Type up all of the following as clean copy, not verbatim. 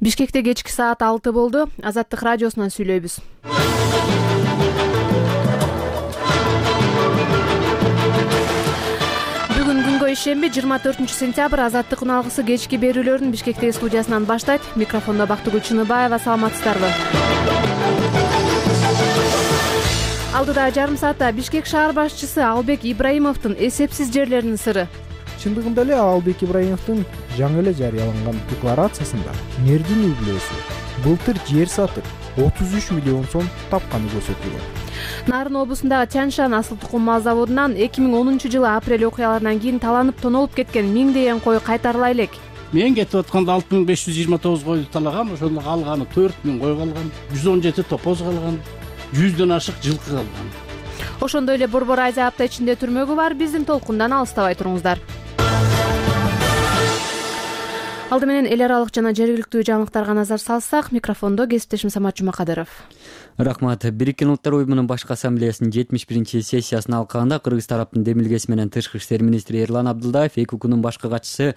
Бишкекте кечки саат 6 болду. Азаттык радиосунан сүйлөйбүз. Бүгүн күнгө ишемби 24-сентябрь Азаттык уналгысы кечки берүүлөрүн Бишкектеги студиясынан баштайт. Микрофондо Бактыгүл Чыныбаева. Саламатсыздарбы? Алдыда жарым саатта Бишкек шаар башчысы Албек Ибраимовдун эсепсиз жерлеринин сыры. Чындыгында эле Албек Ибраимовдун жаңы эле жарыяланган декларациясында мэрдин үй-бүлөсү былтыр жер сатып 33 миллион сом тапканы көрсөтүлгөн. Нарын облусундагы Чаншан асыл тукум мал заводунан 2010-жылы апрель окуяларынан кийин таланып тонолуп кеткен миңдеген кой кайтарыла элек. Мен кетип атканда 6529 койду талагам, ошондо калганы 4000 кой калган, 117 топоз калган, 100дөн ашык жылкы калган. Ошондой эле борбор айза апта ичинде түрмөгү бар. Биздин толкундан алыстабай туруңуздар. Алды менен эл аралык жана жергиликтүү жаңылыктарга назар салсак, микрофондо кесиптешим Самат Жумакадыров. Рахмат. Бириккен Улуттар уюмунун башкы ассамблеясынын 71-сессиясын алкагында Кыргыз тараптын демилгеси менен Тышкы иштер министри Эрлан Абдылдаев ЭКУКнун башкы катчысы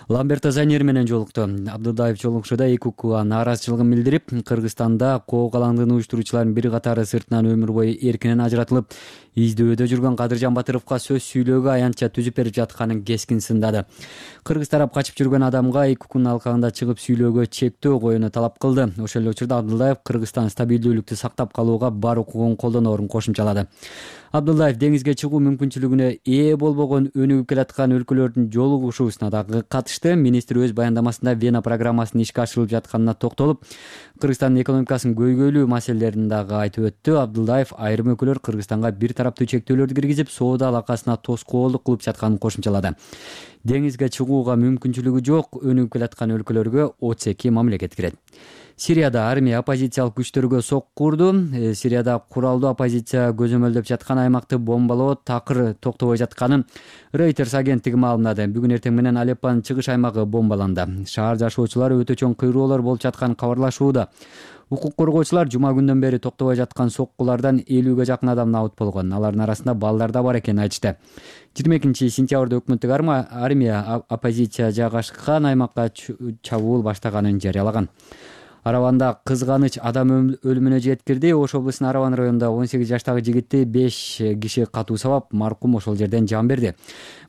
Ламберто Заньер менен жолукту. Абдылдаев жолугушууда ЭКУКга нааразычылыгын билдирип, Кыргызстанда коо калаңдыгын уюштуруучулардын бир катары сыртынан өмүр бою эркинен ажыратылып, издөөдө жүргөн Кадыржан Батыровго сөз сүйлөөгө аянтча түзүп берип жатканын кескин сындады. Кыргыз тарап качып жүргөн адамга ЭКУКнун алкагында чыгып сүйлөөгө чектөө коюуну талап кылды. Ошол эле учурда Абдылдаев Кыргызстан стабилдүүлүктү сактап калууга бар укугун колдоноорун кошумчалады. Абдылдаев деңизге чыгуу мүмкүнчүлүгүнө ээ болбогон өнүгүп келаткан өлкөлөрдүн жолугушуусуна дагы катышты. Министр өз баяндамасында Вена программасынын ишке ашырылып жатканына токтолуп, Кыргызстандын экономикасынын көйгөйлүү маселелерин дагы айтып өттү. Абдылдаев айрым өкүлдөр Кыргызстанга бир тараптуу чектөөлөрдү киргизип, соода алакасына тоскоолдук кылып жатканын кошумчалады. Деңизге чыгууга мүмкүнчүлүгү жок өнүгүп келаткан өлкөлөргө отсеки мамлекет кирет. Сирияда армия оппозициялык күчтөргө сокку урду. Сирияда куралдуу оппозиция көзөмөлдөп жаткан аймакты бомбалоо такыр токтобой жатканын Reuters агенттиги маалымдады. Бүгүн эртең менен Алеппонун чыгыш аймагы бомбаланды. Шаар жашоочулары өтө чоң кыйроолор болуп жатканын кабарлашууда. Укук коргоочулар жума күндөн бери токтобой жаткан соккулардан 50ге жакын адам набыт болгон. Алардын арасында балдар да бар экенин айтышты. 22-сентябрда өкмөттүк армия оппозиция жайгашкан аймакка чабуул баштаганын жарыялаган. Араванда кызганыч адам өлүмүнө жеткирди. Ош облусунун Араван районунда 18 жаштагы жигитти 5 киши катуу сабап, маркум ошол жерден жан берди.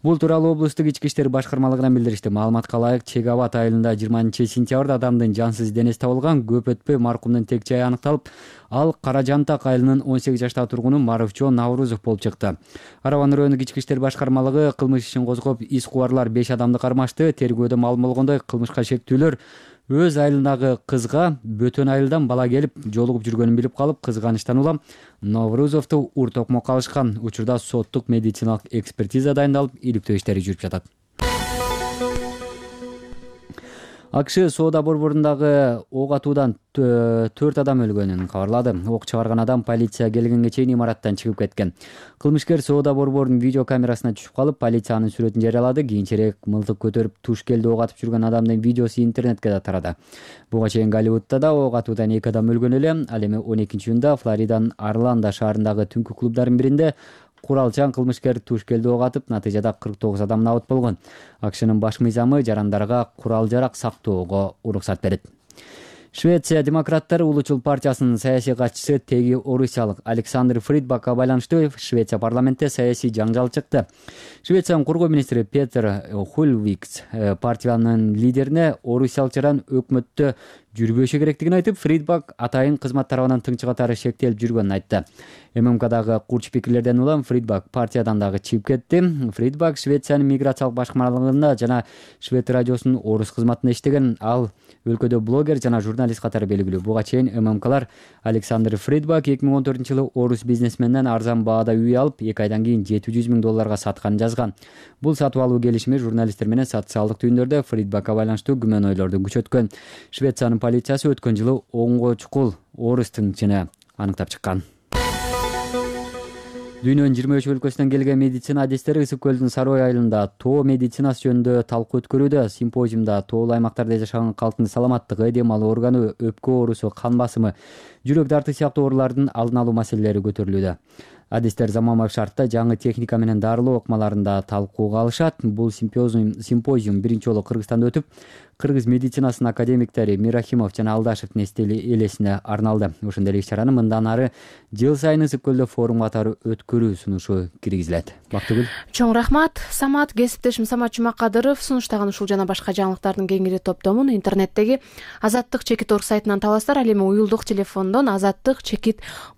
Бул тууралуу облустук ички иштер башкармалыгынан билдиришти. Маалыматка ылайык, Чек-Абад айылында 20-сентябрда адамдын жансыз денеси табылган. Көп өтпөй маркумдун тек жайы аныкталып, ал Кара Жантак айылынын 18 жаштагы тургуну Марufjon Наврузов болуп чыкты. Араван райондук ички иштер башкармалыгы кылмыш ишин козгоп, ис кубарлар 5 адамды кармашты. Тергөөдө маалым болгондой, кылмышка шектүүлөр өз айылындагы кызга бөтөн айылдан бала келип жолугуп жүргөнүн билип калып, кызганычтан улам Наврузовду ур-токмокко алышкан. Учурда соттук медициналык экспертиза дайындалып, иликтөө иштери жүрүп жатат. АКШ соода борборундагы ок атуудан 4 адам өлгөнүн кабарлады. Ок чыгарган адам полиция келгенге чейин имараттан чыгып кеткен. Кылмышкер соода борборунун видео камерасына түшүп калып, полициянын сүрөтүн жарыялады. Кийинчерээк мылтык көтөрүп туш келди ок атып жүргөн адамдын видеосу интернетке да тарады. Буга чейин Голливудда да ок атуудан 2 адам өлгөн эле. Ал эми 12-июнда Флориданын Орландо шаарындагы түнкү клубдардын биринде куралчан кылмышкер туш келди ок атып, натыйжада 49 адам набыт болгон. АКШнын баш мыйзамы жарандарга курал-жарак сактоого уруксат берет. Швеция демократтары улучул партиясынын саясий катчысы теги орусиялык Александр Фридбакка байланыштуу Швеция парламентте саясий жаңжал чыкты. Швециянын коргоо министри Петер Хульвикс партиянын лидерине орусиялык жаран өкмөттө жүрбөшү керектигин айтып, Фридбак атайын кызмат тарабынан тыңчы катары шектелип жүргөнүн айтты. ММКдагы курч пикирлерден улам Фридбак партиядан дагы чыгып кетти. Фридбак Швециянын миграциялык башкармалыгында жана Швед радиосунун орус кызматында иштеген. Ал өлкөдө блогер жана журналист катары белгилүү. Буга чейин ММКлар Александр Фридбак 2014-жылы орус бизнесменден арзан баада үй алып, 2 айдан кийин $700,000 сатканын жазган. Бул сатып алуу келишими журналисттер менен социалдык түйүндөрдө Фридбакка байланыштуу күмөнөйлөрдү күчөткөн. Швециянын полициясы өткөн жылы оңго чукул орус тыңчыны аныктап чыккан. Дүйнөнүн 23 өлкөсүнөн келген медицина адистери Ысык көлдүн Сарой айылында тоо медицинасы жөнүндө талкуу өткөрүүдө. Симпозиумда тоолуу аймактарда жашаган калктын саламаттыгы, дем алуу органы, өпкө оорусу, кан басымы, жүрөк дарты сыяктуу оорулардын алдын алуу маселелери көтөрүлүүдө. Адистер заманбап шартта жаңы техника менен дарылоо окмаларында талкууга алышат. Бул симпозиум биринчи жолу Кыргызстанда өтүп, кыргыз медицинасынын академиктери Мирахимов жана Алдашевдин элесине арналды. Ошондой эле иш-чараны мындан ары жыл сайын Ысык көлдө форум катары өткөрүү сунушу киргизилет. Бактыгүл. Чоң рахмат. Самат, кесиптешим Самат Жумакадыров сунуштаган ушул жана башка жаңылыктардын кеңири топтомун интернеттеги Азаттык.org сайтынан табасыздар. Ал эми уюлдук телефондон Азаттык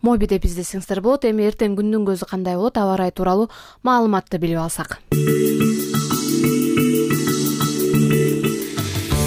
моби деп издесеңиздер болот. Эми эртең күндүн көзү кандай болот, аба ырайы тууралуу маалыматты билип алсак.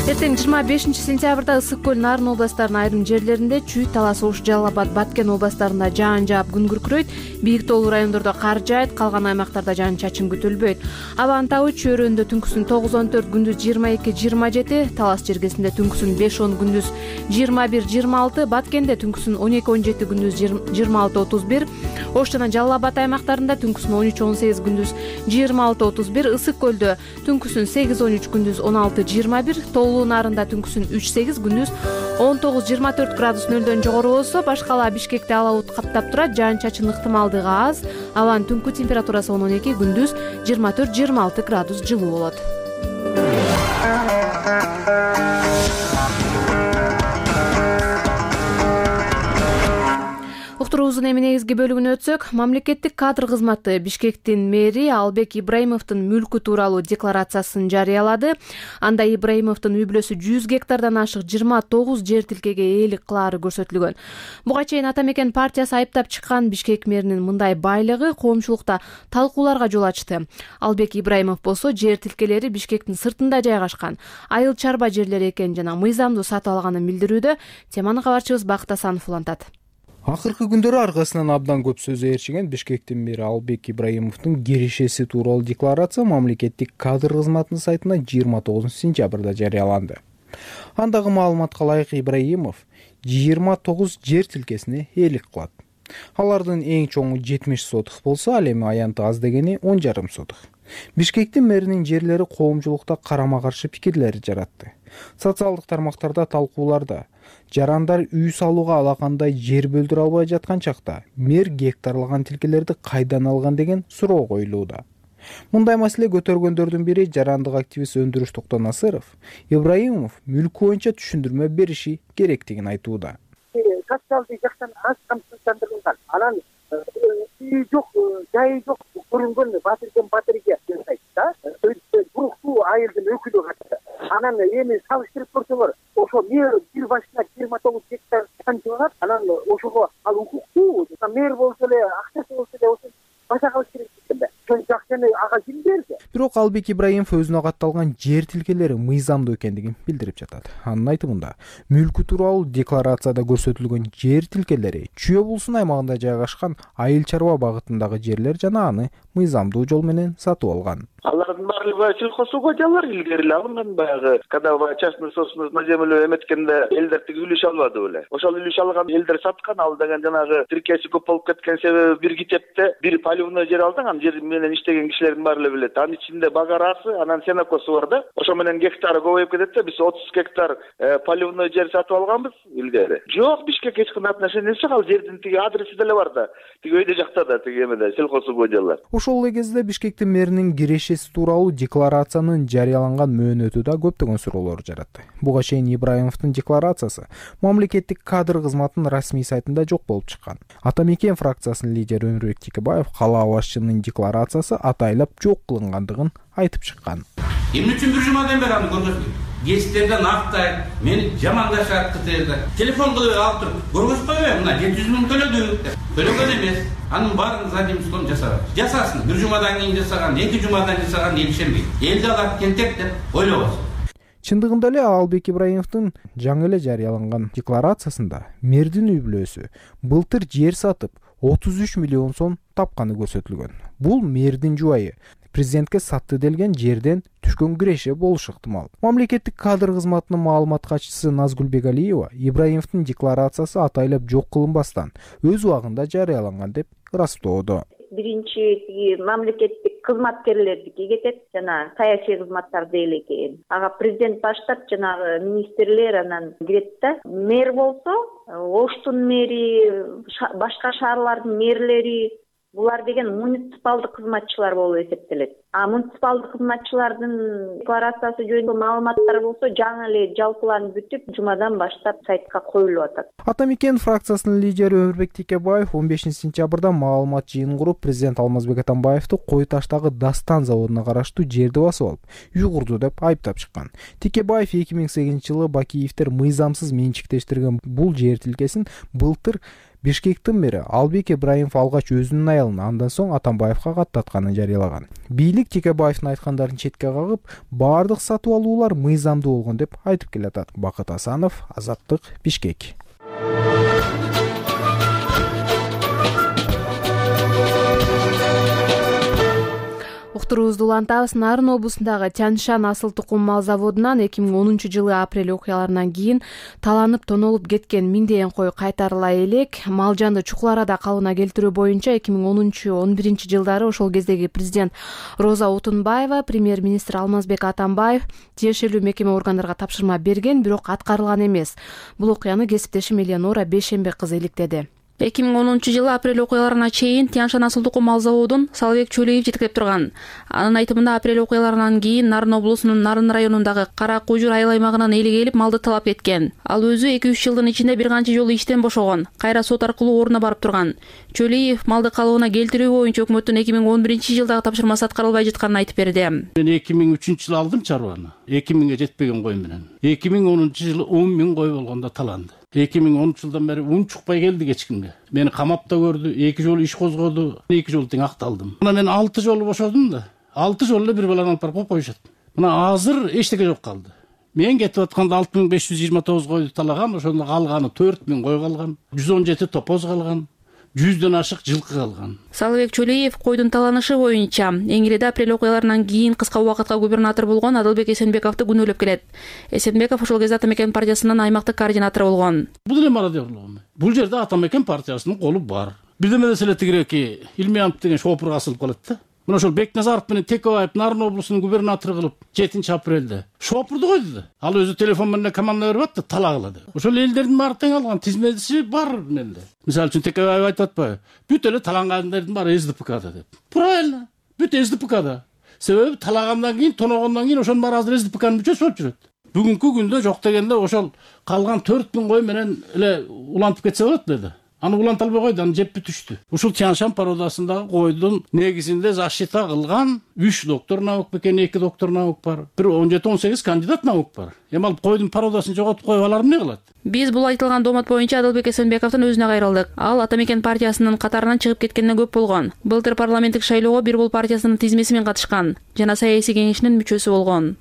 Эртең 25-сентябрда Ысык көл Нарын областарынын айрым жерлеринде, Чүй, Талас, Ош, Жалал Абад, Баткен областарында жаан жаап күн күркүрөйт. Бийик тоолуу райондордо кар жаайт, калган аймактарда жаан-чачын күтүлбөйт. Абанын табы Чүй өрөөнүндө түнкүсүн 9-14, күндүз 22-27, Талас жергесинде түнкүсүн 5-10, күндүз 21-26, Баткенде түнкүсүн 12-17, күндүз 26-31, Ош жана Жалал Абад аймактарында түнкүсүн 13-18, күндүз 26-31, Ысык көлдө түнкүсүн 8-13, күндүз 16-21, тоолуу Нарында түнкүсүн 3-8, күндүз 19-24 градус нөлдөн жогору болсо, башкала Бишкекте ала бут каптап турат, жаан-чачын ыктымалдыгы аз. Абанын түнкү температурасы 12, күндүз 24-26 градус жылуу болот. Уктуруубуздун эми негизги бөлүгүнө өтсөк, мамлекеттик кадр кызматы Бишкектин мэри Албек Ибраимовдун мүлкү тууралуу декларациясын жарыялады. Анда Ибраимовдун үй бүлөсү 100 гектардан ашык 29 жер тилкеге ээлик кылаары көрсөтүлгөн. Буга чейин Ата Мекен партиясы айыптап чыккан Бишкек мэринин мындай байлыгы коомчулукта талкууларга жол ачты. Албек Ибраимов болсо жер тилкелери Бишкектин сыртында жайгашкан айыл чарба жерлери экенин жана мыйзамдуу сатып алганын билдирүүдө. Теманы кабарчыбыз Бакыт Асанов улантат. Акыркы күндөрү аркасынан абдан көп сөз ээрчиген Бишкектин мэри Албек Ибраимовдун кирешеси тууралуу декларация мамлекеттик кадр кызматынын сайтына 29-сентябрда жарыяланды. Андагы маалыматка ылайык Ибраимов 29 жер тилкесине ээлик кылат. Алардын эң чоңу 70 сотых болсо, ал эми аянты аз дегени 10,5 сотых. Бишкектин мэринин жерлери коомчулукта карама-каршы пикирлер жаратты. Социалдык тармактарда талкууларда жарандар үй салууга алакандай жер бөлдүрө албай жаткан чакта мэр гектарлаган тилкелерди кайдан алган деген суроо коюлууда. Мындай маселе көтөргөндөрдүн бири жарандык активист Өндүрүш Токтонасыров Ибраимов мүлкү боюнча түшүндүрмө бериши керектигин айтууда. Социалдык жактан аз камсыздандырылган, анан үй жок, жайы жок көрүнгөн батырге жасайт да. Буруктуу айылдын өкүлү катты. Анан эми салыштырып көрсөңөр, ошо мэр бир башына 29 гектар канча алат, анан ошого ал укуктуу, мэр болсо эле, акчасы болсо эле ошо баша калыш керек экен да. Ошончо акчаны ага ким берди? Бирок Албек Ибраимов өзүнө катталган жер тилкелери мыйзамдуу экендигин билдирип жатат. Анын айтымында, мүлкү тууралуу декларацияда көрсөтүлгөн жер тилкелери Чүй облусунун аймагында жайгашкан айыл чарба багытындагы жерлер жана аны мыйзамдуу жол менен сатып алган. Алардын баардыгы сельхозугодиялар илгери эле алынган, баягы когда частный собственность на землю эметкенде элдер тиги үлүш албады беле. Ошол үлүш алган элдер саткан, ал деген жанагы тиркеси көп болуп кеткен себеби бир китепте бир полигонный жер алдың, анын жер менен иштеген кишилердин баары эле билет. Анын ичинде багарасы, анан сенокосу бар да. Ошо менен гектары көбөйүп кетет да. Биз 30 гектар полигонный жер сатып алганбыз илгери. Жок, Бишкек эч кандай отношениясы жок, ал жердин тиги адреси деле бар да. Тиги өйдө жакта да тиги эмеде сельхозугодиялар. Ошол эле кезде Бишкектин мэринин кирешеси тууралуу декларациянын жарыяланган мөөнөтү да көптөгөн суроолор жаратты. Буга чейин Ибраимовдун декларациясы мамлекеттик кадр кызматынын расмий сайтында жок болуп чыккан. Ата Мекен фракциясынын лидери Өмүрбек Текебаев кала башчынын декларациясы атайлап жок кылынгандыгын айтып чыккан. Эмне үчүн бир жумадан бери аны көргөзбөйт? Гезиттерден актайт, мени жамандашат кытырда. Телефон кылып алып туруп, көргөзбөйбү? Мына 700 миң төлөдүк. Төлөгөн эмес. Анын баарын задимством жасаган. Жасасын. Бир жумадан кийин жасаган, 2 жумадан жасаган эл ишенбейт. Элди алат кентек деп ойлобосун. Чындыгында эле Албек Ибраимовдун жаңы эле жарыяланган декларациясында мэрдин үй бүлөсү былтыр жер сатып 33 миллион сом тапканы көрсөтүлгөн. Бул мэрдин жубайы президентке сатты делген жерден түшкөн киреше болушу ыктымал. Мамлекеттик кадр кызматынын маалымат катчысы Назгүл Бегалиева Ибраимовдун декларациясы атайлап жок кылынбастан өз убагында жарыяланган деп ырастоодо. Биринчи мамлекеттик кызматкерлердики кетет, жана саясий кызматтар дейли экен. Ага президент баштап жанагы министрлер анан кирет да. Мэр болсо, Оштун мэри, башка шаарлардын мэрлери, Булар деген муниципалдык кызматчылар болуп эсептелет. А муниципалдык кызматчылардын декларациясы жөнүндө маалыматтар болсо жаңы эле жалпыланып бүтүп, жумадан баштап сайтка коюлуп атат. Ата Мекен фракциясынын лидери Өмүрбек Текебаев 15-сентябрда маалымат жыйынын куруп, президент Алмазбек Атамбаевди Кой Таштагы Дастан заводуна караштуу жерди басып алып, үй курду деп айыптап чыккан. Текебаев 2008-жылы Бакиевдер мыйзамсыз менчиктештирген бул жер тилкесин былтыр Бишкектен бери Албек Ибраимов алгач өзүнүн аялына, андан соң Атамбаевга каттатканын жарыялаган. Бийлик Текебаевдин айткандарын четке кагып, баардык сатып алуулар мыйзамдуу болгон деп айтып келатат. Бакыт Асанов, Азаттык, Бишкек. Уктуруубузду улантабыз. Нарын облусундагы Тяньшан асыл тукум мал заводунан 2010-жылы апрель окуяларынан кийин таланып тонолуп кеткен миңдеген кой кайтарыла элек. Мал жанды чукул арада калыбына келтирүү боюнча 2010-11 жылдары ошол кездеги президент Роза Отунбаева, премьер-министр Алмазбек Атамбаев тиешелүү мекеме органдарга тапшырма берген, бирок аткарылган эмес. Бул окуяны кесиптешим Элеонора Бейшембек кызы иликтеди. 2010-жылы апрель окуяларына чейин Тяньшан асыл тукум мал заводун Салыбек Чөлөев жетектеп турган. Анын айтымында апрель окуяларынан кийин Нарын облусунун Нарын районундагы Кара Кужур айыл аймагынан эли келип малды талап кеткен. Ал өзү 2-3 жылдын ичинде бир канча жолу иштен бошогон, кайра сот аркылуу ордуна барып турган. Чөлөев малды калыбына келтирүү боюнча өкмөттүн 2011-жылдагы тапшырмасы аткарылбай жатканын айтып берди. Мен 2003-жылы алдым чарбаны. 2000ге жетпеген кой менен. 2010-жылы 10 000 кой болгондо таланды. 2010-жылдан бери ун чукпай келди кечкимге. Мени камапта көрдү, 2 жолу иш козгоду, 2 жолу тең акталдым. Мына мен 6 жолу бошодум да, 6 жолу эле бир баланы алып барып коюшат. Мына азыр эчтеке жок калды. Мен кетип атканда 6529 койду талаган, ошондо калганы 4000 кой калган, 117 топоз калган. 100дөн ашык жылкы калган. Салыбек Чөлөев койдун таланышы боюнча Эңиреде апрель окуяларынан кийин кыска убакытка губернатор болгон Адылбек Эсенбековду күнөөлөп келет. Эсенбеков ошол кезде Ата Мекен партиясынын аймактык координатору болгон. Бул эле мародёрлугу. Бул жерде Ата Мекен партиясынын колу бар. Бирдеме деле тигиреки Илмиянов деген шопурга асылып калат да. Мына ошол Бекназаров менен Текебаев Нарын облусунун губернатору кылып 7-апрелде шопурду койду да. Ал өзү телефон менен команда берип атты, талагыла деп. Ошол элдердин баары тең алган тизмеси бар менде. Мисалы үчүн Текебаев айтып атпайбы? Бүт эле талангандардын баары СДПКда деп. Правильно. Бүт СДПКда. Себеби талагандан кийин, тоногондон кийин ошонун баары азыр СДПКнын мүчөсү болуп жүрөт. Бүгүнкү күндө жок дегенде ошол калган 4000 кой менен эле улантып кетсе болот деди. Аны уланта албай койду, аны жеп бүтүштү. Ушул Тяньшан породасындагы койдун негизинде защита кылган 3 доктор наук бекен, 2 доктор наук бар. Бир 17-18 кандидат наук бар. Эми ал койдун породасын жоготуп коюп алар эмне кылат? Биз бул айтылган доомат боюнча Адылбек Эсенбековдун өзүнө кайрылдык. Ал Ата Мекен партиясынын катарынан чыгып кеткенден көп болгон. Былтыр парламенттик шайлоого Бир Бул партиясынын тизмеси менен катышкан жана саясий кеңешинин мүчөсү болгон.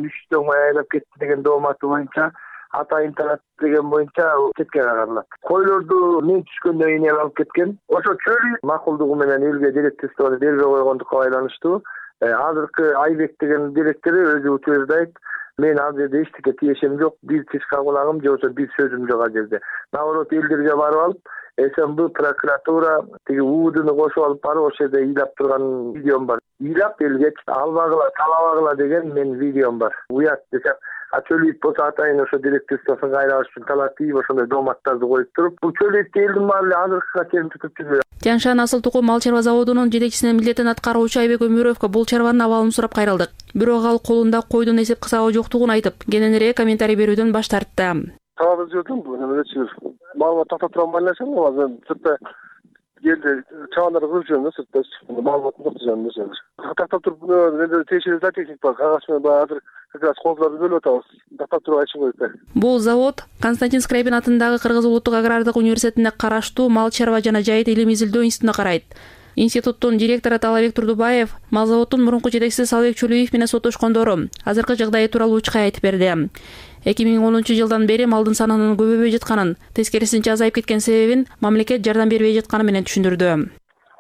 3 жыл айлап кетти деген дооматы боюнча атайын талап деген боюнча четке кагылат. Койлорду мен түшкөндөн кийин алып кеткен. Ошо Чөлөев макулдугу менен элге директорствону бербей койгондукка байланыштуу. Азыркы Айбек деген директор өзү утверждайт айт, мен ал жерде эчтеке тиешем жок, бир тишка кулагым же болбосо бир сөзүм жок ал жерде. Наоборот элдерге барып алып, СМБ прокуратура тиги УУДны кошуп алып барып ошол жерде ыйлап турган видеом бар. Ыйлап элге албагыла, талабагыла деген мен видеом бар. Уят десем, Чөлөев болсо атайын ошо директорствосун кайра алыш үчүн талап тийип ошондой дооматтарды коюп туруп, бул Чөлөевди элдин баары эле азыркыга чейин тутуп жүрөт. Тяньшан асыл тукум мал чарба заводунун жетекчисинин милдетин аткаруучу Айбек Өмүрөвгө бул чарбанын абалын сурап кайрылдык. Бирок ал колунда койдун эсеп кысабы жоктугун айтып, кененирээк комментарий берүүдөн баш тартты. Талап жүрдүм, бул немечи маалымат тактап турган байланышым, азыр сыртта келди, чабандар кылып жүрөм да сыртта, маалыматын токтойжам да. Тактап туруп, менде тиешелүү зоотехник бар, кагаз менен азыр как раз колдорду бөлүп атабыз. Тактап туруп айтышым керек. Бул завод Константин Скрябин атындагы Кыргыз улуттук агрардык университетине караштуу мал чарба жана жайыт илим изилдөө институтуна карайт. Институттун директору Талабек Турдубаев мал заводдун мурунку жетекчиси Салыбек Чөлөев менен соттошкондору азыркы жагдайы тууралуу учкай айтып берди. 2010-жылдан бери малдын санынын көбөйбөй жатканын, тескерисинче азайып кеткен себебин мамлекет жардам бербей жатканы менен түшүндүрдү.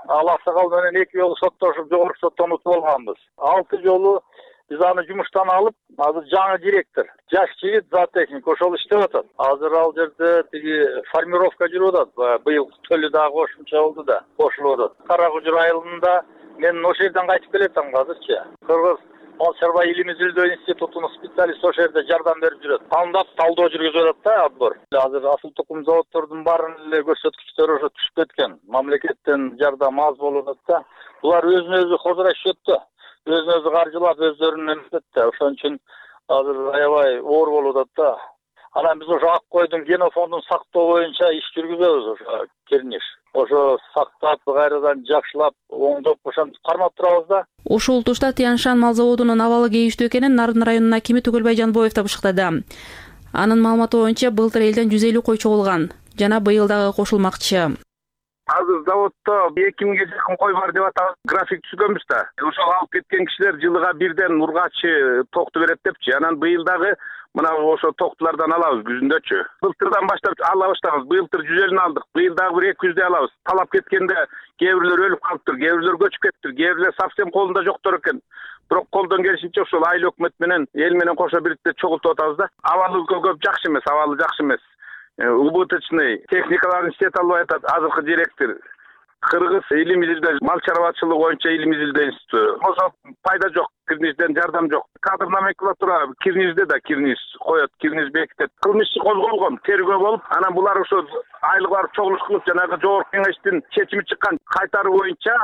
Ал аксакал менен 2 жолу соттошуп, жогорку соттон утуп алганбыз. 6 жолу биз аны жумуштан алып, азыр жаңы директор, жаш жигит зоотехник ошол иштеп атат. Азыр ал жерде тиги формировка жүрүп атат. Быйыл төлү дагы кошумча болду да, кошулуп атат. Кара Кужур айылында мен ошол жерден кайтып келетем азырчы. Кыргыз Мал чарба илим изилдөө институтунун специалисти ошол жерде жардам берип жүрөт. Тандап талдоо жүргүзүп атат да отбор. Азыр асыл тукум заводдордун баарынын эле көрсөткүчтөрү ошо түшүп кеткен. Мамлекеттен жардам аз болуп атат да. Булар өзүнө өзү хозурашып да. Өзүнө өзү каржылап өздөрүнүн эметет да. Ошон үчүн азыр аябай оор болуп атат да. Анан биз ошо ак койдун генофондун сактоо боюнча иш жүргүзөбүз ошо Кирниш. Ошо сактап, кайрадан жакшылап, оңдоп ошентип кармап турабыз да. Ушул тушта Тяньшан мал заводунун абалы кейиштүү экенин Нарын районунун акими Түгөлбай Жанбоев да бышыктады. Анын маалыматы боюнча былтыр элден 150 кой чогулган жана быйыл дагы кошулмакчы. Азыр заводдо 2000ге жакын кой бар деп атабыз. График түзгөнбүз да. Ошол алып кеткен кишилер жылыга бирден ургачы токту берет депчи. Анан быйыл дагы мына ошо токтулардан алабыз күзүндөчү. Былтырдан баштап ала баштабыз. Былтыр 150 алдык. Быйыл дагы бир 200 алабыз. Талап кеткенде кээ бирлер өлүп калыптыр, кээ бирлер көчүп кетиптир, кээ бирлер совсем колунда жоктор экен. Бирок колдон келишинче ошол айыл өкмөт менен эл менен кошо бириктеп чогултуп атабыз да. Абалы көп жакшы эмес, абалы жакшы эмес. Убыточный техникаларын иштете албай атат азыркы директор. Кыргыз илим изилдөө мал чарбачылыгы боюнча илим изилдөө институту. Ошо пайда жок, Кирнижден жардам жок. Кадр номенклатура Кирнижде да Кирниз коет, Кирниз бекитет. Кылмыш козголгон, тергөө болуп, анан булар ошо айлык чогулуш кылып жанагы жогорку кеңештин чечими чыккан кайтаруу боюнча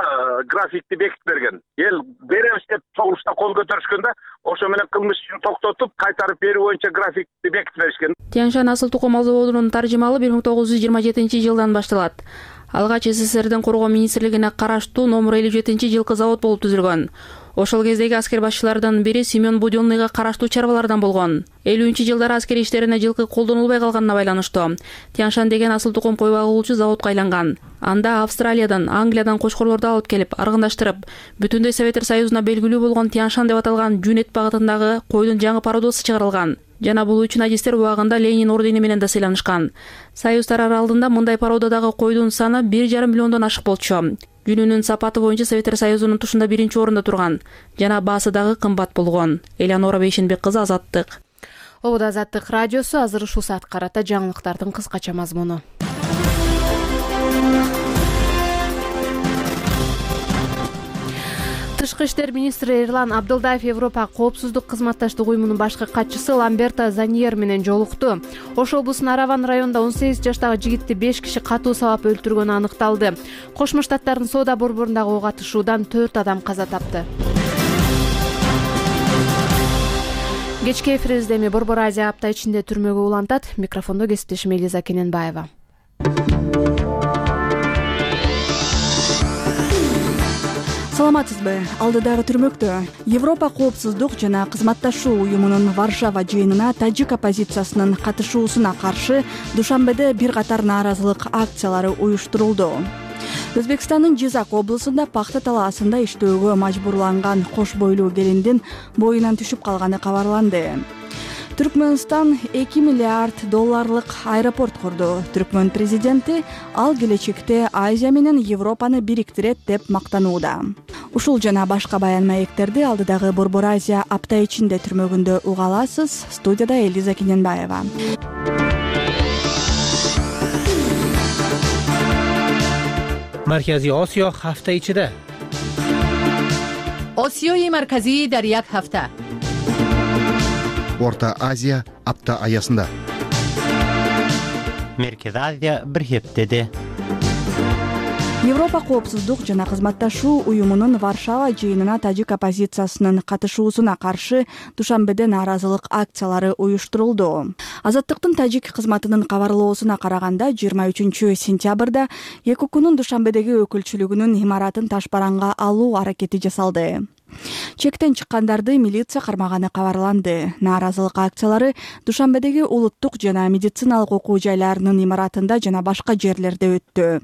графикти бекитип берген. Эл беребиз деп чогулушта кол көтөрүшкөн да, ошо менен кылмыш ишин токтотуп, кайтарып берүү боюнча графикти бекитип беришкен. Тяньшан асыл тукум мал заводунун таржымалы 1927-жылдан башталат. Алгач СССРдин коргоо министрлигине караштуу номер 57-жылкы завод болуп түзүлгөн. Ошол кездеги аскер башчылардан бири Семен Будённыйга караштуу чарбалардан болгон. 50-жылдары аскер иштерине жылкы колдонулбай калганына байланыштуу Тяньшан деген асыл тукум кой багуучу заводко айланган. Анда Австралиядан, Англиядан кочкорлорду алып келип, аргындаштырып, бүтүндөй Советтер Союзуна белгилүү болгон Тяньшан деп аталган жүн эт багытындагы койдун жаңы пародосы чыгарылган. Жана бул үчүн адистер убагында Ленин ордени менен да сыйланышкан. Союз тарары алдында мындай пародадагы койдун саны 1,5 миллиондон ашык болчу. Жүнүнүн сапаты боюнча Советтер Союзунун тушунда 1-орунда турган жана баасы дагы кымбат болгон. Элеонора Бейшенбек кызы, Азаттык. Обуда Азаттык радиосу. Азыр ушул саатка карата жаңылыктардын кыскача мазмуну. Тышкы иштер министри Эрлан Абдылдаев Европа коопсуздук кызматташтык уюмунун башкы катчысы Ламберто Заньер менен жолукту. Ош облусунун Араван районунда 18 жаштагы жигитти 5 киши катуу сабап өлтүргөнү аныкталды. Кошмо Штаттардын соода борборундагы ок атышуудан 4 адам каза тапты. Кечки эфирибизде эми Борбор Азия апта ичинде түрмөгө улантат. Микрофондо кесиптешим Элиза Кененбаева. Саламатсызбы? Алдыдагы түрмөктө Европа коопсуздук жана кызматташуу уюмунун Варшава жыйынына тажик оппозициясынын катышуусуна каршы душанбеде бир катар нааразылык акциялары уюштурулду. Өзбекстандын Жизак облусунда пахта талаасында иштөөгө мажбурланган кош бойлуу келиндин боюнан түшүп калганы кабарланды. Түркмөнстан $2 миллиард аэропорт курду. Түркмөн президенти ал келечекте Азия менен Европаны бириктирет деп мактанууда. Ушул жана башка баян маектерди алдыдагы Борбор Азия апта ичинде түрмөгүндө уга аласыз. Студияда Элиза Кененбаева. Маркази Осиё ҳафта ичида. Осиёи марказӣ дар як ҳафта. Орта Азия апта аясында. Меркез Азия бир хептеде. Европа коопсуздук жана кызматташуу уюмунун Варшава жыйынына тажик оппозициясынын катышуусуна каршы душанбеде нааразылык акциялары уюштурулду. Азаттыктын тажик кызматынын кабарлоосуна караганда 23-сентябрда ЕКУКунун Душанбедеги өкүлчүлүгүнүн имаратын ташбаранга алуу аракети жасалды. Чектен чыккандарды милиция кармаганы кабарланды. Нааразылык акциялары Душанбедеги улуттук жана медициналык окуу жайларынын имаратында жана башка жерлерде өттү.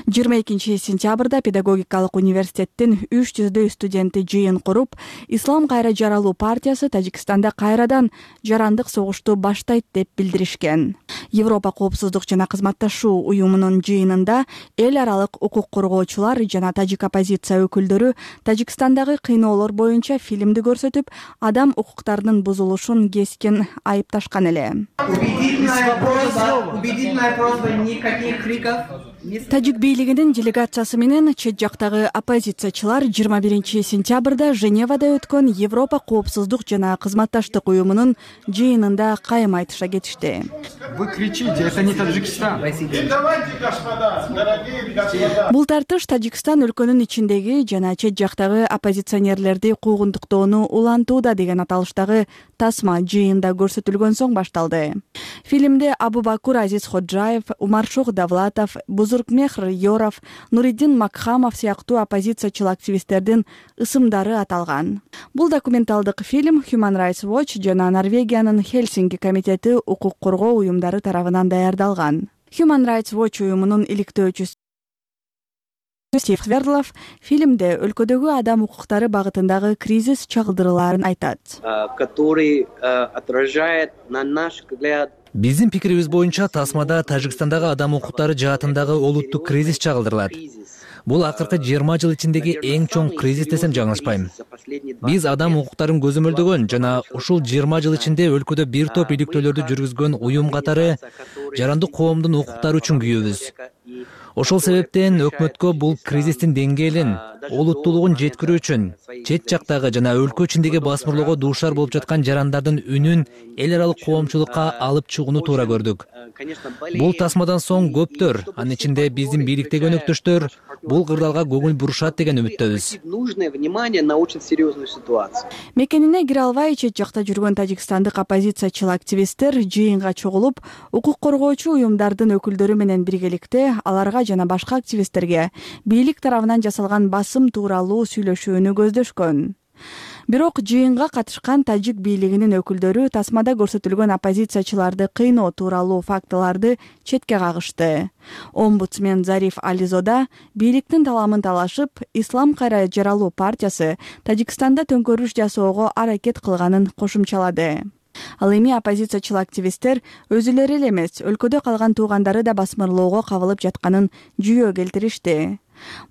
22-сентябрда педагогикалык университеттин 300 студенти жыйын куруп, Ислам кайра жаралуу партиясы Тажикстанда кайрадан жарандык согушту баштайт деп билдиришкен. Европа коопсуздук жана кызматташуу уюмунун жыйынында эл аралык укук коргоочулар жана тажик оппозиция өкүлдөрү Тажикстандагы кыйноолор боюнча фильмди көрсөтүп, адам укуктарынын бузулушун кескин айыпташкан эле. Тажик бийлигинин делегациясы менен чет жактагы оппозициячылар 21-сентябрда Женевада өткөн Европа коопсуздук жана кызматташтык уюмунун жыйынында кайым айтыша кетишти. Вы кричите, это не Таджикистан. Бул тартыш Тажикстан өлкөнүн ичиндеги жана чет жактагы оппозиционерлерди куугунтуктоону улантууда деген аталыштагы тасма жыйында көрсөтүлгөн соң башталды. Фильмде Абубакур Азиз Ходжаев, Умаршох Давлатов, Бузургмехр Йоров, Нуриддин Макхамов сыяктуу оппозициячыл активисттердин ысымдары аталган. Бул документалдык фильм Human Rights Watch жана Норвегиянын Хельсинки комитети укук коргоо уюмдары тарабынан даярдалган. Human Rights Watch уюмунун иликтөөчүсү Стив Свердлов фильмде өлкөдөгү адам укуктары багытындагы кризис чагылдырууларын айтат. Который отражает, на наш взгляд, биздин пикирибиз боюнча Тасмада Тажикстандагы адам укуктары жаатындагы олуттук кризис чагылдырылат. Бул акыркы 20 жыл ичиндеги эң чоң кризис десем жаңылышпайм. Биз адам укуктарын көзөмөлдөгөн жана ушул 20 жыл ичинде өлкөдө бир топ иликтөөлөрдү жүргүзгөн уюм катары жарандык коомдун укуктары үчүн күйөбүз. Ошол себептен өкмөткө бул кризистин деңгээлин, олуттуулугун жеткирүү үчүн чет жактагы жана өлкө ичиндеги басмырлоого дуушар болуп жаткан жарандардын үнүн эл аралык коомчулукка алып чыгууну туура көрдүк. Бул тасмадан соң көптөр, анын ичинде биздин бийликтеги өнөктөштөр бул кырдаалга көңүл бурушат деген үмүттөбүз. Мекенине кире албай чет жакта жүргөн тажикстандык оппозициячыл активисттер жыйынга чогулуп, укук коргоочу уюмдардын өкүлдөрү менен биргеликте аларга жана башка активисттерге бийлик тарабынан жасалган басым тууралуу сүйлөшүүнү көздөшкөн. Бирок жыйынга катышкан тажик бийлигинин өкүлдөрү тасмада көрсөтүлгөн оппозициячыларды кыйноо тууралуу фактыларды четке кагышты. Омбудсмен Зариф Ализода бийликтин таламын талашып, Ислам кайра жаралуу партиясы Тажикстанда төңкөрүш жасоого аракет кылганын кошумчалады. Ал эми оппозициячыл активисттер өзүлөрү эле эмес, өлкөдө калган туугандары да басмырлоого кабылып жатканын жүйө келтиришти.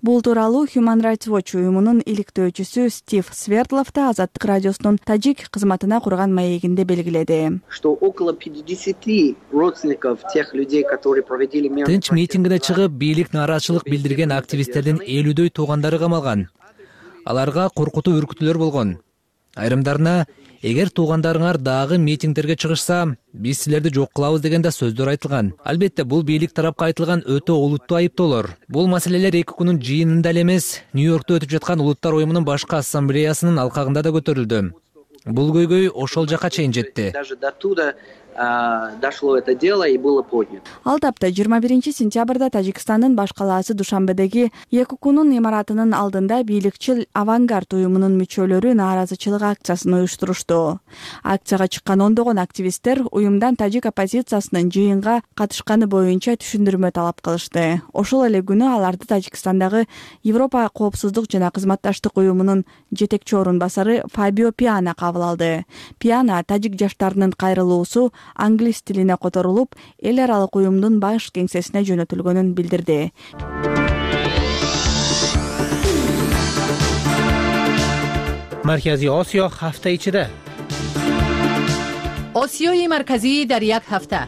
Бул тууралуу Human Rights Watch уюмунун иликтөөчүсү Стив Свердлов да Азаттык радиосунун тажик кызматына курган маегинде белгиледи. Что около 50 родственников тех людей, которые проводили тынч митингине чыгып, бийлик нааразычылык билдирген активисттердин 50дөй туугандары камалган. Аларга коркутуу үркүтүүлөр болгон. Айрымдарына эгер туугандарыңар дагы митингдерге чыгышса, биз силерди жок кылабыз деген да сөздөр айтылган. Албетте, бул бийлик тарапка айтылган өтө олуттуу айыптоолор. Бул маселелер эки күнүн жыйынында эле эмес, Нью-Йоркто өтүп жаткан Улуттар уюмунун башкы ассамблеясынын алкагында да көтөрүлдү. Бул көйгөй ошол жака чейин жетти. Даже до туда дошло это дело и было поднято. Ал тапта 21-сентябрда Тажикстандын баш калаасы Душанбедеги ЕККнун имаратынын алдында бийликчил Авангард уюмунун мүчөлөрү нааразычылык акциясын уюштурушту. Акцияга чыккан ондогон активисттер уюмдан тажик оппозициясынын жыйынга катышканы боюнча түшүндүрмө талап кылышты. Ошол эле күнү аларды Тажикстандагы Европа коопсуздук жана кызматташтык уюмунун жетекчи орун басары Фабио Пиана кабыл алды. Пиана тажик жаштарынын кайрылуусу англис тилине которулуп, эл аралык уюмдун баш кеңсесине жөнөтүлгөнүн билдирди. Маркази Осиё ҳафта ичида. Осиёи марказӣ дар як ҳафта.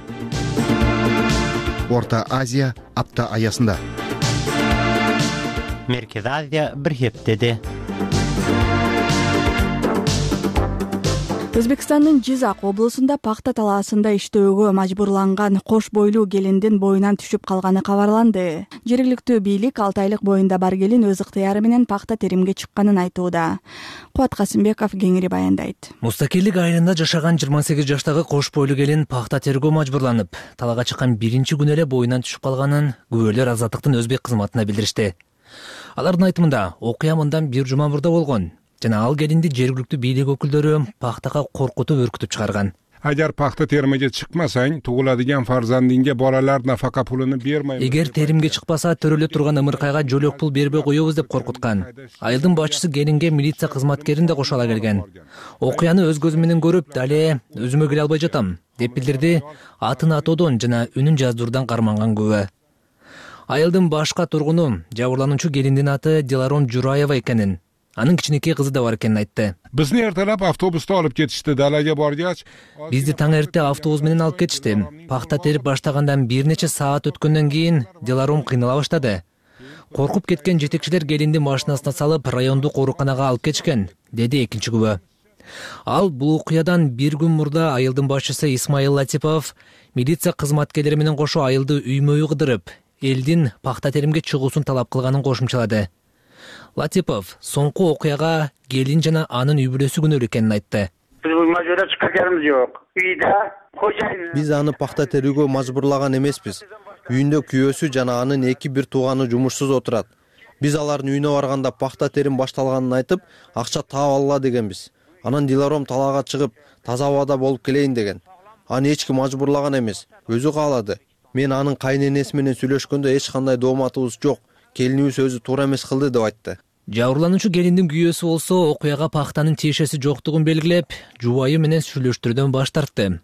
Орта Азия апта аясында. Меркез Азия бир хептеде. Өзбекстандын Жизак облусунда пахта талаасында иштөөгө мажбурланган кош бойлуу келиндин боюнан түшүп калганы кабарланды. Жергиликтүү бийлик 6 айлык боюнда бар келин өз ыктыяры менен пахта теримге чыкканын айтууда. Кубат Касымбеков кеңири баяндайт. Мустакилдик айылында жашаган 28 жаштагы кош бойлуу келин пахта терүүгө мажбурланып, талаага чыккан биринчи күнү эле боюнан түшүп калганын күбөлөр Азаттыктын өзбек кызматына билдиришти. Алардын айтымында окуя мындан бир жума мурда болгон. Жана ал келинди жергиликтүү бийлик өкүлдөрү пахтага коркутуп үркүтүп чыгарган. Agar paxta terimiga chiqmasang, tug'iladigan farzandingga bolalar nafaqa pulini bermaymiz. Эгер теримге чыкпаса, төрөлө турган ымыркайга жөлөк пул бербей коебуз деп коркуткан. Айылдын башчысы келинге милиция кызматкерин да кошо ала келген. Окуяны өз көзүм менен көрүп, дале өзүмө келе албай жатам, деп билдирди атын атоодон жана үнүн жаздыруудан карманган күбө. Айылдын башка тургуну жабырлануучу келиндин аты Диларом Жураева экенин, анын кичинекей кызы да бар экенин айтты. Bizni ertalab avtobusda olib ketishdi. Dalaga borgach, бизди таң эрте автобус менен алып кетишти. Пахта терип баштагандан бир нече саат өткөндөн кийин Диларом кыйнала баштады. Коркуп кеткен жетекчилер келинди машинасына салып, райондук ооруканага алып кетишкен, деди экинчи күбө. Ал бул окуядан бир күн мурда айылдын башчысы Исмаил Латипов милиция кызматкерлери менен кошо айылды үймө-үй кыдырып, элдин пахта теримге чыгуусун талап кылганын кошумчалады. Латипов соңку окуяга келин жана анын үй бүлөсү күнөөлүү экенин айтты. Биз бул мажбурда чыкканыбыз жок. Үйдө кожайын. Биз аны пахта терүүгө мажбурлаган эмеспиз. Үйүндө күйөөсү жана анын эки бир тууганы жумушсуз отурат. Биз алардын үйүнө барганда пахта терим башталганын айтып, акча таап алгыла дегенбиз. Анан Диларом талаага чыгып, таза абада болуп келейин деген. Аны эч ким мажбурлаган эмес, өзү каалады. Мен анын кайненеси менен сүйлөшкөндө эч кандай дооматыбыз жок. Келинибиз өзү туура эмес кылды деп айтты. Жабырлануучу келиндин күйөөсү болсо окуяга пахтанын тиешеси жоктугун белгилеп, жубайы менен сүйлөштүрүүдөн баш тартты.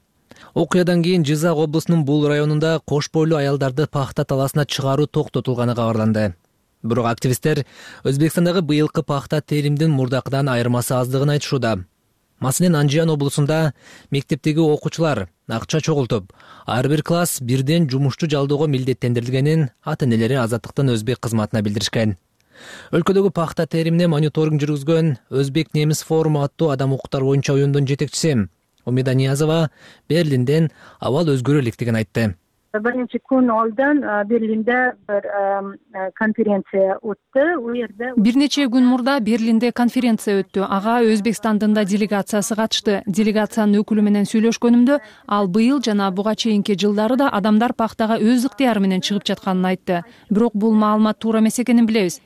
Окуядан кийин Жизак облусунун бул районунда кош бойлуу аялдарды пахта талаасына чыгаруу токтотулганы кабарланды. Бирок активисттер Өзбекстандагы быйылкы пахта теримдин мурдакыдан айырмасы аздыгын айтышууда. Маселен, Анжиян облусунда мектептеги окуучулар акча чогултуп, ар бир класс бирден жумушчу жалдоого милдеттендирилгенин ата-энелери Азаттыктын өзбек кызматына билдиришкен. Өлкөдөгү пахта теримине мониторинг жүргүзгөн Өзбек немис форуму аттуу адам укуктар боюнча уюмдун жетекчиси Умида Ниязова Берлинден абал өзгөрө электигин айтты. Биринчи күн алдын Берлинде бир конференция өттү. Бир нече күн мурда Берлинде конференция өттү. Ага Өзбекстандын да делегациясы катышты. Делегациянын өкүлү менен сүйлөшкөнүмдө ал быйыл жана буга чейинки жылдары да адамдар пахтага өз ыктыяры менен чыгып жатканын айтты. Бирок бул маалымат туура эмес экенин билебиз.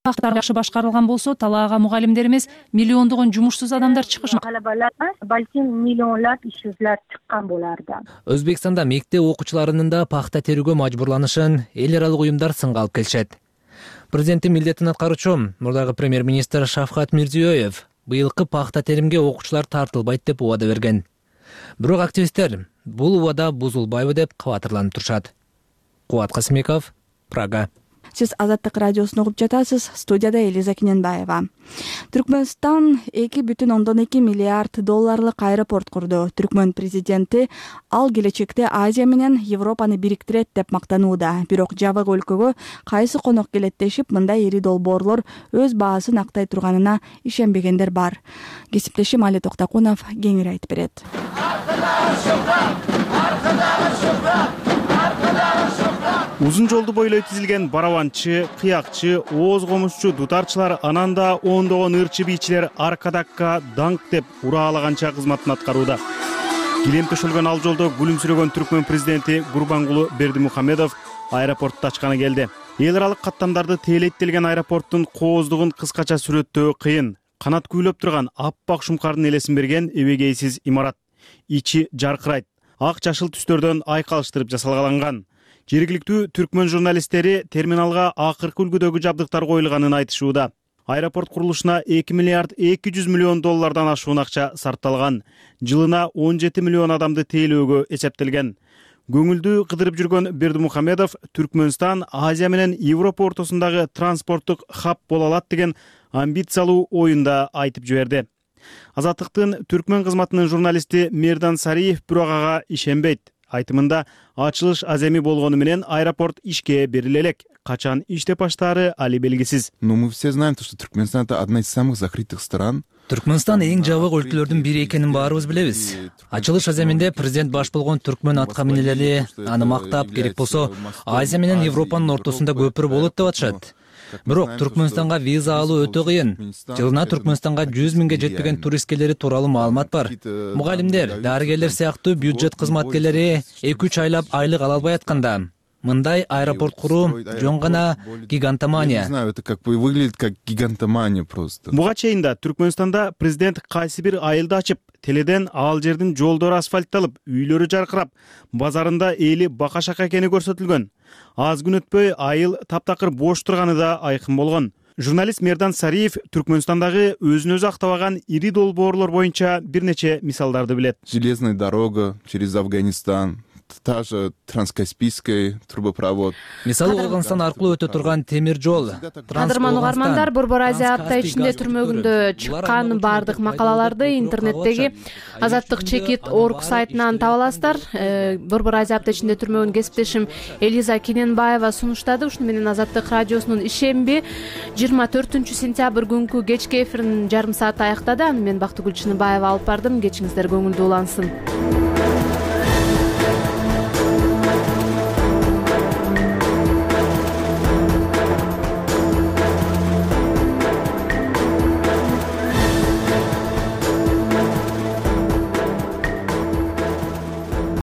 Пахтар жакшы башкарылган болсо, талаага мугалимдер эмес, миллиондогон жумушсуз адамдар чыгышмак. Балким миллионлап ишсиздер чыккан боларда. Өзбекстанда мектеп окуучуларынын да пахта терүүгө мажбурланышын эл аралык уюмдар сынга алып келишет. Президенттин милдетин аткаруучу мурдагы премьер-министр Шавкат Мирзиёев быйылкы пахта теримге окуучулар тартылбайт деп убада берген. Бирок активисттер бул убада бузулбайбы деп кабатырланып турушат. Кубат Касымбеков, Прага. Сиз Азаттык радиосун угуп жатасыз. Студияда Элиза Кененбаева. Түркмөнстан 2,2 миллиард долларлык аэропорт курду. Түркмөн президенти ал келечекте Азия менен Европаны бириктирет деп мактанууда. Бирок жабык өлкөгө кайсы конок келет дешип, мындай ири долбоорлор өз баасын актай турганына ишенбегендер бар. Кесиптешим Али Токтакунов кеңири айтып берет. Узун жолду бойлой тизилген барабанчы, кыякчы, ооз комузчу, дутарчылар, ананда ондогон ырчы бийчилер аркадакка даңк деп ураалаганча кызматын аткарууда. Килем төшөлгөн ал жолдо күлүмсүрөгөн Түркмөн президенти Гурбангулы Бердимухамедов аэропортто ачканы келди. Эл аралык каттамдарды тейлеттелген аэропорттун кооздугун кыскача сүрөттөө кыйын. Канат күйлөп турган аппак шумкардын элесин берген эбегейсиз имарат. Ичи жаркырайт. Ак жашыл түстөрдөн айкалыштырып жасалган. Жергиликтүү түркмөн журналисттери терминалга акыркы үлгүдөгү жабдыктар коюлганын айтышууда. Аэропорт курулушуна 2 миллиард 200 миллион доллардан ашуун акча сарпталган. Жылына 17 миллион адамды тейлөөгө эсептелген. Көңүлдүү кыдырып жүргөн Бердимухамедов Түркмөнстан Азия менен Европа ортосундагы транспорттук хаб боло алат деген амбициялуу оюнда айтып жиберди. Азаттыктын түркмөн кызматынын журналисти Мердан Сариев бирок ага ишенбейт. Айтымында ачылыш аземи болгону менен аэропорт ишке бериле элек. Качан иштеп баштаары али белгисиз. Но мы все знаем, что Туркменстан это одна из самых закрытых стран. Түркмөнстан эң жабык өлкөлөрдүн бири экенин баарыбыз билебиз. Ачылыш аземинде президент баш болгон түркмөн атка минелери аны мактап, керек болсо Азия менен Европанын ортосунда көпүр болот деп атышат. Бирок Түркмөнстанга виза алуу өтө кыйын. Жылына Түркмөнстанга 100 миңге жетпеген турист келери тууралуу маалымат бар. Мугалимдер, дарыгерлер сыяктуу бюджет кызматкерлери 2-3 айлап айлык ала албай атканда, мындай аэропорт куруу жөн гана гигантомания. Не знаю, это как бы выглядит как гигантомания просто. Буга чейин да Түркмөнстанда президент кайсы бир айылды ачып, теледен ал жердин жолдору асфальтталып, үйлөрү жаркырап, базарында эли бака-шака экени көрсөтүлгөн. Аз күн өтпөй айыл таптакыр бош турганы да айкын болгон. Журналист Мердан Сариев Түркмөнстандагы өзүн өзү актабаган ири долбоорлор боюнча бир нече мисалдарды билет. Железная дорога через Афганистан, та же Транскаспийский трубопровод. Мисалы Ооганстан аркылуу өтө турган темир жол. Кадырман угармандар, Борбор Азия апта ичинде түрмөгүндө чыккан баардык макалаларды интернеттеги Азаттык чекит орг сайтынан таба аласыздар. Борбор Азия апта ичинде түрмөгүн кесиптешим Элиза Кененбаева сунуштады. Ушуну менен Азаттык радиосунун ишемби 24-сентябрь күнкү кечки эфирин жарым саат аяктады. Аны мен Бактыгүл Чыныбаева алып бардым. Кечиңиздер көңүлдүү улансын.